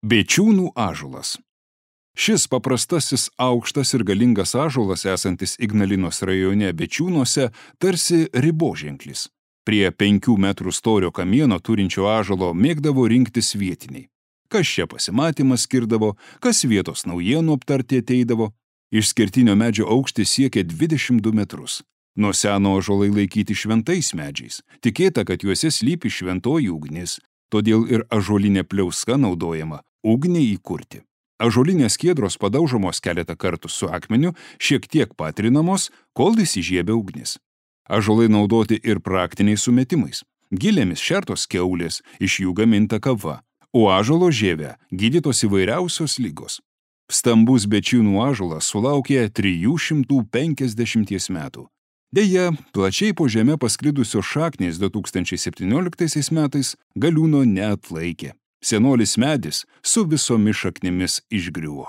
Bėčiūnų ąžuolas. Šis paprastasis aukštas ir galingas ąžuolas esantis Ignalinos rajone Bėčiūnuose tarsi riboženklis. Prie 5 metrų storio kamieno turinčio ąžuolo mėgdavo rinktis vietiniai. Kas čia pasimatymas skirdavo, kas vietos naujienų aptarti ateidavo. Išskirtinio medžio aukštis siekia 22 metrus. Nuo seno ąžuolai laikyti šventais medžiais. Tikėta, kad juose slypi šventoji ugnis, todėl ir ąžuolinė pliauska naudojama ugniai įkurti. Ąžuolinės skiedros padaužomos keletą kartų su akmeniu, šiek tiek patrinamos, kol įsižiebia ugnis. Ąžuolai naudoti ir praktiniais sumetimais. Gilėmis šertos kiaulės, iš jų gaminta kava, o ąžuolo žievę gydytos įvairiausios ligos. Stambus Bėčiūnų ąžuolas sulaukė 350 metų. Deja, plačiai po žemę pasklidusios šaknys 2017 metais galiūno neatlaikė. Senolis medis su visomis šaknimis išgriuvo.